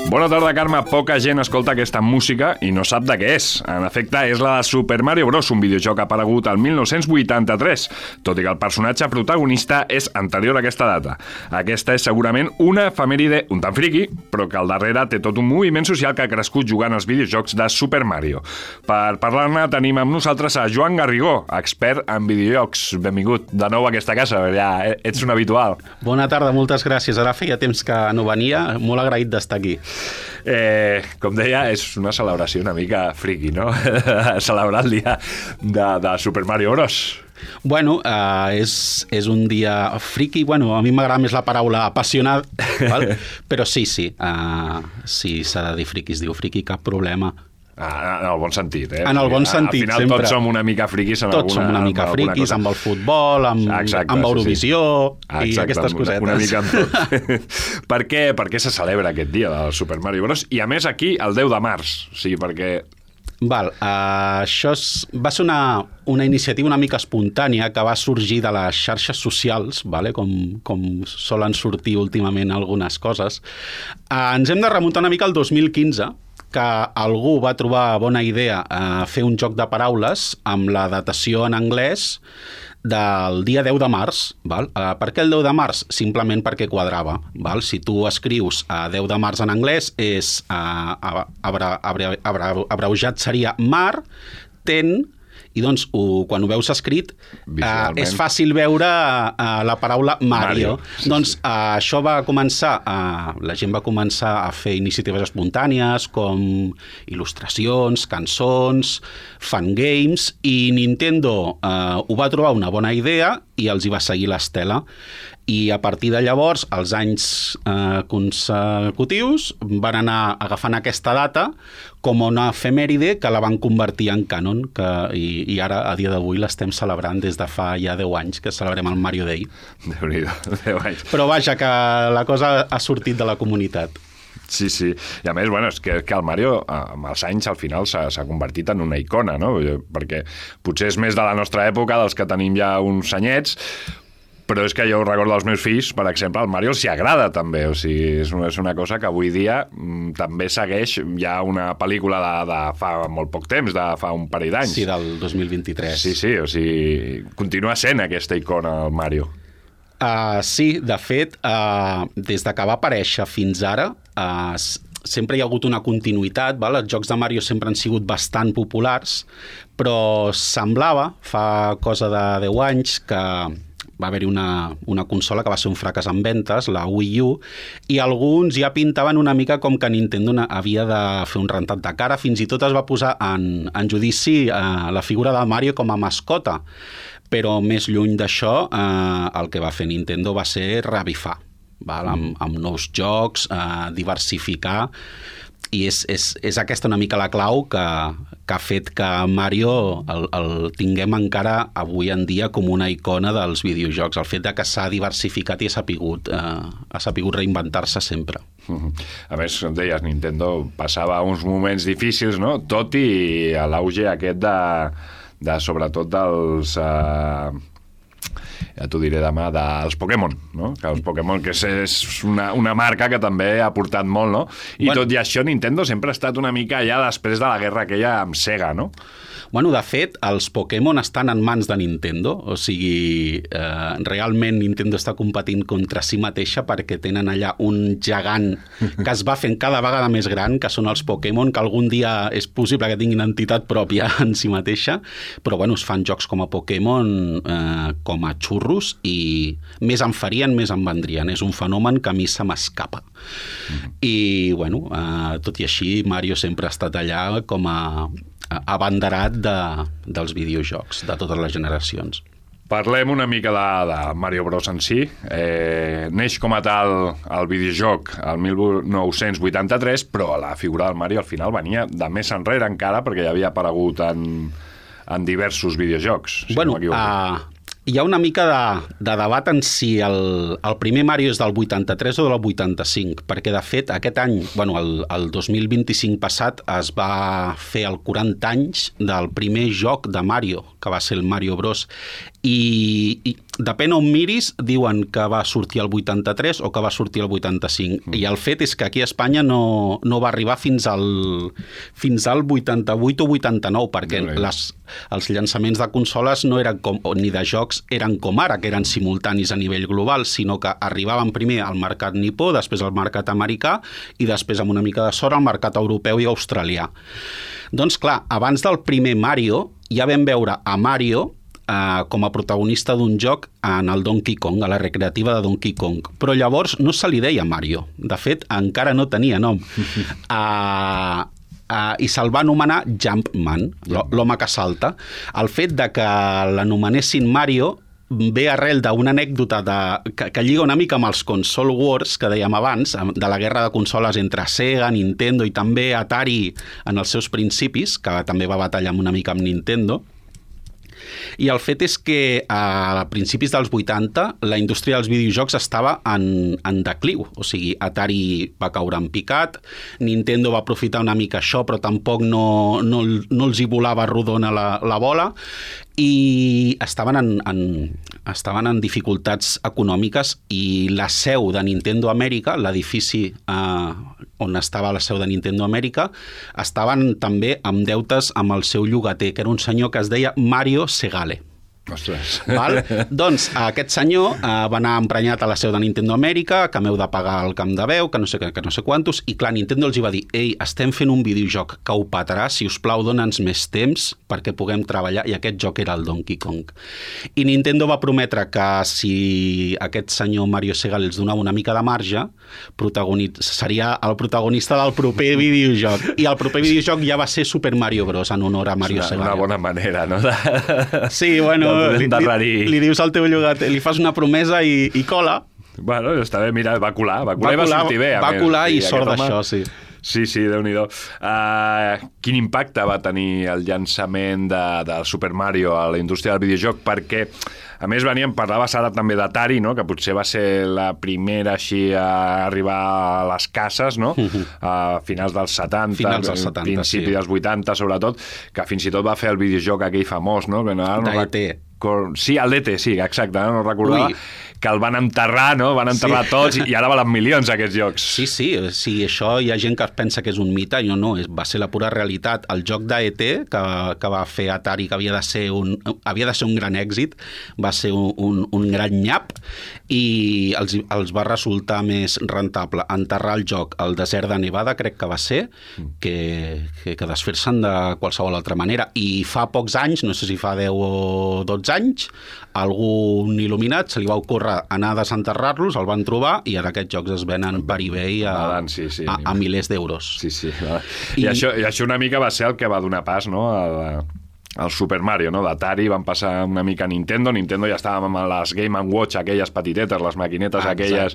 Bona tarda, Carme. Poca gent escolta aquesta música i no sap de què és. En efecte, és la de Super Mario Bros., un videojoc aparegut al 1983, tot i que el personatge protagonista és anterior a aquesta data. Aquesta és segurament una efemèride un tant friqui, però que al darrere té tot un moviment social que ha crescut jugant als videojocs de Super Mario. Per parlar-ne tenim amb nosaltres a Joan Garrigó, expert en videojocs. Benvingut de nou a aquesta casa, ja ets un habitual. Bona tarda, moltes gràcies. Ara feia temps que no venia, molt agraït d'estar aquí. Com deia, és una celebració una mica friqui, no? Celebrar el dia de Super Mario Bros. Bueno, és un dia friqui. Bueno, a mi m'agrada més la paraula apassionat, val? Però sí, sí, s'ha de dir friqui, es diu friqui, cap problema. En el bon sentit, eh? En el bon sentit, sempre. Al final tots som una mica friquis en tots som una mica friquis amb el futbol, amb Eurovisió i aquestes cosetes. Una mica amb tot. Per què se celebra aquest dia del Super Mario Bros? I a més aquí el 10 de març. O sigui, perquè... Això va ser una iniciativa una mica espontània que va sorgir de les xarxes socials, com solen sortir últimament algunes coses. Ens hem de remuntar una mica al 2015, que algú va trobar bona idea fer un joc de paraules amb la datació en anglès del dia 10 de març. Per què el 10 de març? Simplement perquè quadrava. Si tu escrius 10 de març en anglès, abreujat seria mar, ten, i doncs quan ho veus escrit és fàcil veure la paraula Mario. Doncs això va començar, la gent va començar a fer iniciatives espontànies com il·lustracions, cançons, fangames, i Nintendo ho va trobar una bona idea i els hi va seguir l'estela. I a partir de llavors, els anys consecutius van anar agafant aquesta data com una efemèride que la van convertir en canon, i ara, a dia d'avui, l'estem celebrant des de fa ja 10 anys, que celebrem el Mario Day. Déu-n'hi-do, 10 anys. Però vaja, que la cosa ha sortit de la comunitat. Sí, sí. I a més, bueno, és que el Mario, amb els anys, al final s'ha convertit en una icona, no? Perquè potser és més de la nostra època, dels que tenim ja uns anyets, però és que jo recordo dels meus fills, per exemple, el Mario s'hi agrada també, o sigui, és una cosa que avui dia també segueix ja una pel·lícula de fa molt poc temps, de fa un parell d'anys. Sí, del 2023. Sí, o sigui, continua sent aquesta icona el Mario. Sí, de fet, des de que va aparèixer fins ara, sempre hi ha hagut una continuïtat, els jocs de Mario sempre han sigut bastant populars, però semblava, fa cosa de 10 anys, que va haver-hi una consola que va ser un fracàs en ventes, la Wii U, i alguns ja pintaven una mica com que Nintendo havia de fer un rentat de cara. Fins i tot es va posar en judici la figura de Mario com a mascota. Però més lluny d'això, el que va fer Nintendo va ser revifar, amb nous jocs, diversificar, i és aquesta una mica la clau que ha fet que Mario el tinguem encara avui en dia com una icona dels videojocs, el fet de que s'ha diversificat i ha sapigut reinventar-se sempre. A més, com deies, Nintendo passava uns moments difícils, no? Tot i l'auge aquest de sobretot dels... ja t'ho diré demà, dels Pokémon, no? Que els Pokémon, que és una marca que també ha portat molt, no? I tot i això, Nintendo sempre ha estat una mica allà després de la guerra aquella amb Sega, no? Bueno, de fet, els Pokémon estan en mans de Nintendo, o sigui, realment Nintendo està competint contra si mateixa perquè tenen allà un gegant que es va fent cada vegada més gran, que són els Pokémon, que algun dia és possible que tinguin entitat pròpia en si mateixa, però bueno, es fan jocs com a Pokémon com a xurros, i més en farien, més en vendrien. És un fenomen que a mi se m'escapa. I bueno, tot i així, Mario sempre ha estat allà com a abanderat dels videojocs de totes les generacions. Parlem una mica de Mario Bros en si. Neix com a tal el videojoc el 1983, però la figura del Mario al final venia de més enrere encara, perquè ja havia aparegut en diversos videojocs. Bueno, hi ha una mica de debat en si el primer Mario és del 83 o del 85, perquè de fet aquest any, el 2025 passat, es va fer el 40 anys del primer joc de Mario, que va ser el Mario Bros. I depèn on miris, diuen que va sortir el 83 o que va sortir el 85. I el fet és que aquí a Espanya no va arribar fins al 88 o 89, perquè els llançaments de consoles no eren ni de jocs eren com ara, que eren simultanis a nivell global, sinó que arribaven primer al mercat nipó, després al mercat americà i després, amb una mica de sort, al mercat europeu i australià. Doncs clar, abans del primer Mario ja vam veure a Mario com a protagonista d'un joc en el Donkey Kong, a la recreativa de Donkey Kong. Però llavors no se li deia Mario. De fet, encara no tenia nom. I se'l va anomenar Jumpman, l'home que salta. El fet de que l'anomenessin Mario ve arrel d'una anècdota que lliga una mica amb els console wars que dèiem abans, de la guerra de consoles entre Sega, Nintendo i també Atari en els seus principis, que també va batallar una mica amb Nintendo. I el fet és que a principis dels 80 la indústria dels videojocs estava en decliu, o sigui, Atari va caure en picat, Nintendo va aprofitar una mica això, però tampoc no els hi volava rodona la bola, i estaven en dificultats econòmiques, i la seu de Nintendo Amèrica, l'edifici on estava la seu de Nintendo Amèrica, estaven també amb deutes amb el seu llogater, que era un senyor que es deia Mario Segale. Ostres. Val? Doncs aquest senyor va anar emprenyat a la seu de Nintendo Amèrica, que m'heu de pagar el camp de veu, que no sé quantos, i clar, Nintendo els hi va dir: ei, estem fent un videojoc que ho petarà, si us plau, dona'ns més temps perquè puguem treballar, i aquest joc era el Donkey Kong. I Nintendo va prometre que si aquest senyor Mario Segal els donava una mica de marge, seria el protagonista del proper videojoc. I el proper videojoc ja va ser Super Mario Bros. En honor a Mario Segal. Una bona manera, no? Sí, bueno, li dius al teu llogater, li fas una promesa i cola. Bueno, està bé, mira, va colar i va sortir bé. Va colar i sort d'això, sí. Sí, Déu-n'hi-do. Quin impacte va tenir el llançament del Super Mario a la indústria del videojoc? Perquè, a més, parlaves ara també d'Atari, no? Que potser va ser la primera així a arribar a les cases, no? A finals dels 70, principi dels 80, sobretot, que fins i tot va fer el videojoc aquell famós, no? d'E.T. Sí, el d'E.T., sí, exacte, no recordava. Que el van enterrar, no? Van enterrar tots i ara valen milions aquests jocs. Sí, això hi ha gent que pensa que és un mite, i no, va ser la pura realitat. El joc d'E.T. que va fer Atari, que havia de ser un gran èxit, va ser un gran nyap, i els va resultar més rentable enterrar el joc al desert de Nevada, crec que va ser, que desfer-se'n de qualsevol altra manera. I fa pocs anys, no sé si fa 10 o 12 anys, algun il·luminat se li va ocórrer anar a desenterrar-los, el van trobar, i ara aquests jocs es venen per eBay a milers d'euros. Sí. I això una mica va ser el que va donar pas, no?, el Super Mario, no? D'Atari van passar una mica a Nintendo ja estàvem amb les Game & Watch, aquelles petitetes, les maquinetes aquelles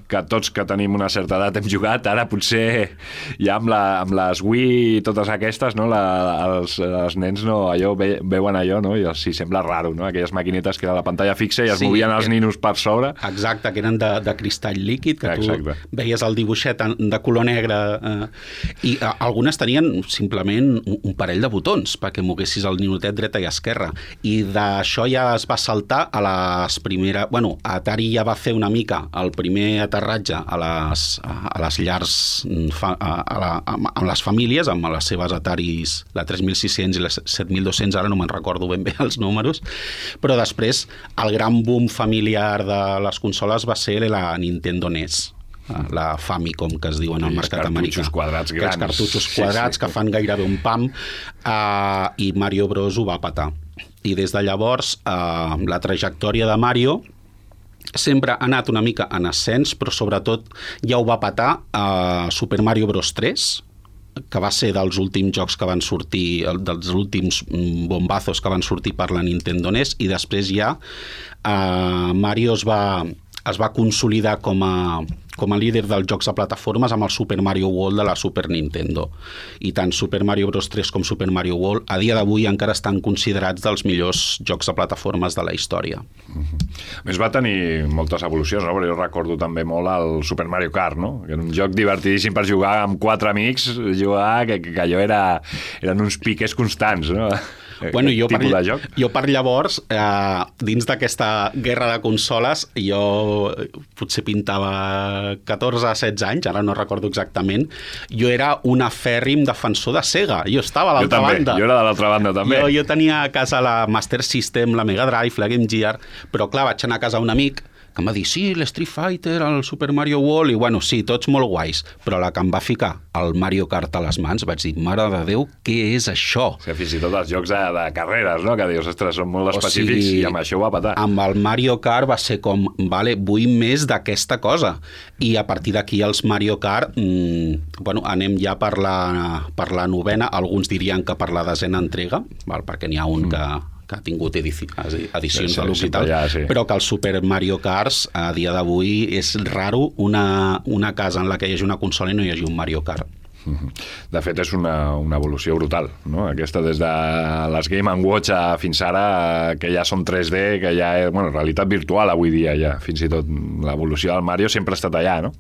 que tots que tenim una certa edat hem jugat, ara potser ja amb les Wii i totes aquestes, no? Els nens no, veuen allò, no? I els sembla raro, no? Aquelles maquinetes que era la pantalla fixa i es movien els ninos per sobre. Exacte, que eren de cristall líquid, que tu veies el dibuixet de color negre, i algunes tenien simplement un parell de botons perquè moguessis el ninotet dreta i esquerra, i d'això ja es va saltar a les primeres... Atari ja va fer una mica el primer aterratge a les llars amb les famílies, amb les seves Ataris, la 3600 i la 7200, ara no me'n recordo ben bé els números, però després el gran boom familiar de les consoles va ser la Nintendo NES, la Famicom, que es diuen al mercat americà. Aquests cartutxos quadrats que fan gairebé un pam, i Mario Bros. Ho va petar. I des de llavors la trajectòria de Mario sempre ha anat una mica en ascens, però sobretot ja ho va petar a Super Mario Bros. 3, que va ser dels últims jocs que van sortir, dels últims bombazos que van sortir per la Nintendo NES, i després ja Mario es va consolidar com com a líder dels jocs de plataformes amb el Super Mario World de la Super Nintendo. I tant Super Mario Bros. 3 com Super Mario World a dia d'avui encara estan considerats dels millors jocs de plataformes de la història. A més, va tenir moltes evolucions, no? Però jo recordo també molt el Super Mario Kart, no? Que era un joc divertidíssim per jugar amb 4 amics, que allò eren uns piques constants, no? Bueno, jo per llavors, dins d'aquesta guerra de consoles, jo potser pintava 14-16 anys, ara no recordo exactament, jo era un afèrrim defensor de Sega, jo estava a l'altra banda. Jo era de l'altra banda també. Jo tenia a casa la Master System, la Mega Drive, la Game Gear, però clar, vaig anar a casa un amic que em va dir, sí, l'Street Fighter, el Super Mario World, i bueno, sí, tots molt guais, però la que em va ficar el Mario Kart a les mans, vaig dir, mare de Déu, què és això? O sigui, fins i tot els jocs de carreres, no? Que dius, ostres, són molt específics, i amb això ho va patar. Amb el Mario Kart va ser com, vale, vull més d'aquesta cosa. I a partir d'aquí els Mario Kart, bueno, anem ja per la novena, alguns dirien que per la desena entrega, perquè n'hi ha un que ha tingut edicions de luxe i tal, però que el Super Mario Kart a dia d'avui és raro una casa en la que hi hagi una consola i no hi hagi un Mario Kart. De fet, és una evolució brutal, no? Aquesta des de les Game & Watch fins ara, que ja són 3D, que ja és, bueno, realitat virtual avui dia ja, fins i tot l'evolució del Mario sempre ha estat allà, no?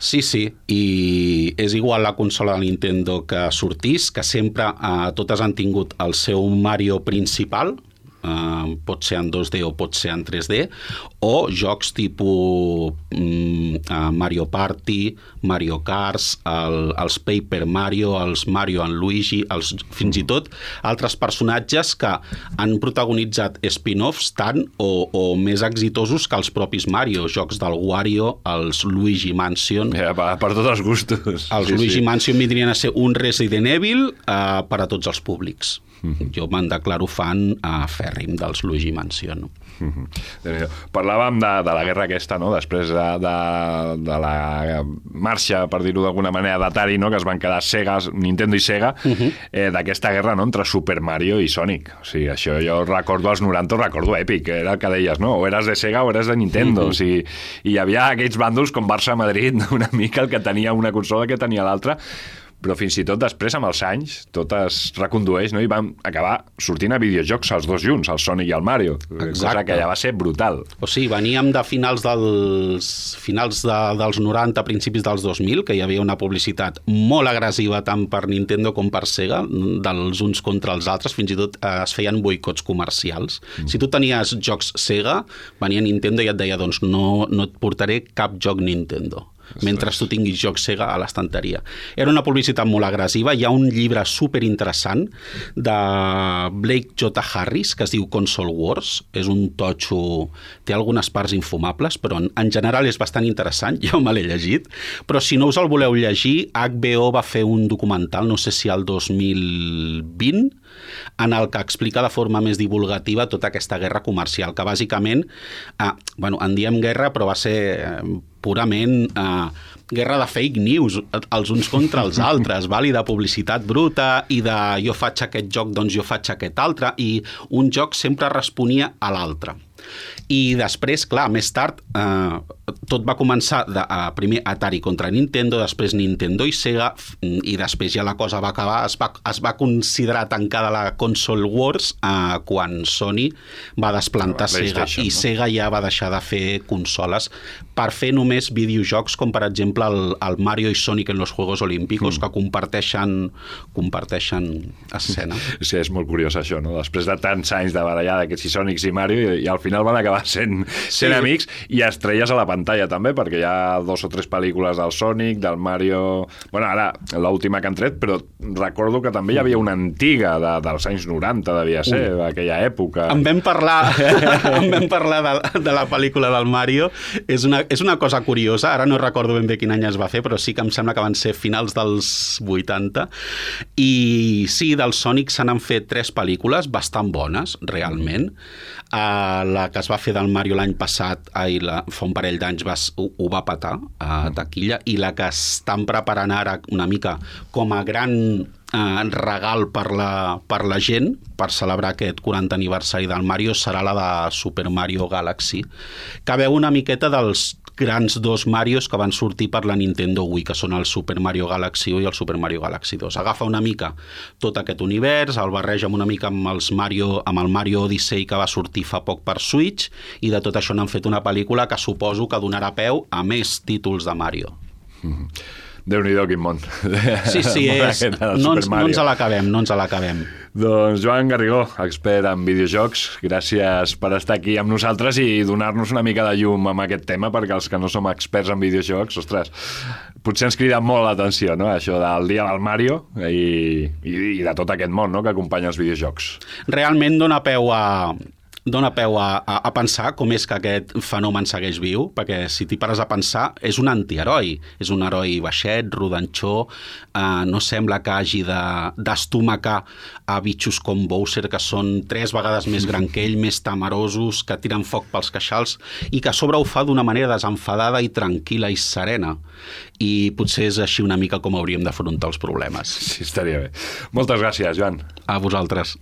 Sí, i és igual la consola de Nintendo que sortís, que sempre totes han tingut el seu Mario principal, pot ser en 2D o pot ser en 3D, o jocs tipus Mario Party, Mario Kart, els Paper Mario, els Mario and Luigi, fins i tot altres personatges que han protagonitzat spin-offs tant o més exitosos que els propis Mario, jocs del Wario, els Luigi Mansion. Per tots els gustos. Els Luigi Mansion vindrien a ser un Resident Evil per a tots els públics. Jo me'n declaro fan fèrrim dels Luigi Mansion. Parlàvem de la guerra aquesta, no? Després de la marxa, per dir-ho d'alguna manera, d'Atari, no? Que es van quedar Nintendo i Sega, d'aquesta guerra, no? Entre Super Mario i Sonic. O sigui, això jo recordo als 90, recordo èpic, era el que deies, no? O eres de Sega o eres de Nintendo. O sigui, i hi havia aquells bàndols com Barça-Madrid, una mica el que tenia una consola, que tenia l'altra, però fins i tot després, amb els anys, tot es recondueix, no? I van acabar sortint a videojocs els dos junts, el Sonic i el Mario. Exacte. Cosa que ja va ser brutal. O sigui, veníem de finals dels 90, principis dels 2000, que hi havia una publicitat molt agressiva tant per Nintendo com per Sega, dels uns contra els altres, fins i tot es feien boicots comercials. Si tu tenies jocs Sega, venia Nintendo i et deia, doncs no et portaré cap joc Nintendo, mentre tu tinguis jocs Sega a l'estanteria. Era una publicitat molt agressiva. Hi ha un llibre superinteressant de Blake J. Harris que es diu Console Wars. És un totxo, té algunes parts infumables, però en general és bastant interessant. Jo me l'he llegit. Però si no us el voleu llegir, HBO va fer un documental, no sé si el 2020, en el que explica de forma més divulgativa tota aquesta guerra comercial, que bàsicament, en diem guerra, però va ser purament guerra de fake news, els uns contra els altres, i de publicitat bruta, i de jo faig aquest joc, doncs jo faig aquest altre, i un joc sempre responia a l'altre. I després, clar, més tard, tot va començar primer Atari contra Nintendo, després Nintendo i Sega, i després ja la cosa va acabar, es va considerar tancada la Console Wars quan Sony va desplantar Sega, i Sega ja va deixar de fer consoles per fer només videojocs com, per exemple, el Mario i Sonic en los Juegos Olímpicos, que comparteixen escena. Sí, és molt curiós això, no? Després de tants anys de barallada, que si Sonics i Mario, i al final van acabar sent amics, i estrelles a la pantalla també, perquè hi ha 2 o 3 pel·lícules del Sonic, del Mario... Bueno, ara l'última que han tret, però recordo que també hi havia una antiga dels anys 90, devia ser, d'aquella època. En vam parlar de la pel·lícula del Mario. És una cosa curiosa, ara no recordo ben bé quin any es va fer, però sí que em sembla que van ser finals dels 80. I sí, del Sonic se n'han fet 3 pel·lícules bastant bones, realment. La que es va fer del Mario l'any passat, fa un parell d'anys ho va petar a taquilla, i la que estan preparant ara una mica com a gran regal per la gent, per celebrar aquest 40 aniversari del Mario, serà la de Super Mario Galaxy, que veu una miqueta dels grans dos Marios que van sortir per la Nintendo Wii, que són el Super Mario Galaxy 1 i el Super Mario Galaxy 2. Agafa una mica tot aquest univers, el barreja una mica amb el Mario Odyssey que va sortir fa poc per Switch, i de tot això n'han fet una pel·lícula que suposo que donarà peu a més títols de Mario. Déu-n'hi-do, quin món. Sí, no ens l'acabem. Doncs Joan Garrigó, expert en videojocs, gràcies per estar aquí amb nosaltres i donar-nos una mica de llum amb aquest tema, perquè els que no som experts en videojocs, ostres, potser ens crida molt l'atenció, no?, això del dia del Mario i de tot aquest món, no?, que acompanya els videojocs. Realment dona peu a pensar com és que aquest fenomen segueix viu, perquè si t'hi pares a pensar, és un antiheroi. És un heroi baixet, rodanxó, no sembla que hagi d'estomacar a bitxos com Bowser, que són 3 vegades més gran que ell, més temerosos, que tiren foc pels queixals, i que a sobre ho fa d'una manera desenfadada i tranquil·la i serena. I potser és així una mica com hauríem d'afrontar els problemes. Sí, estaria bé. Moltes gràcies, Joan. A vosaltres.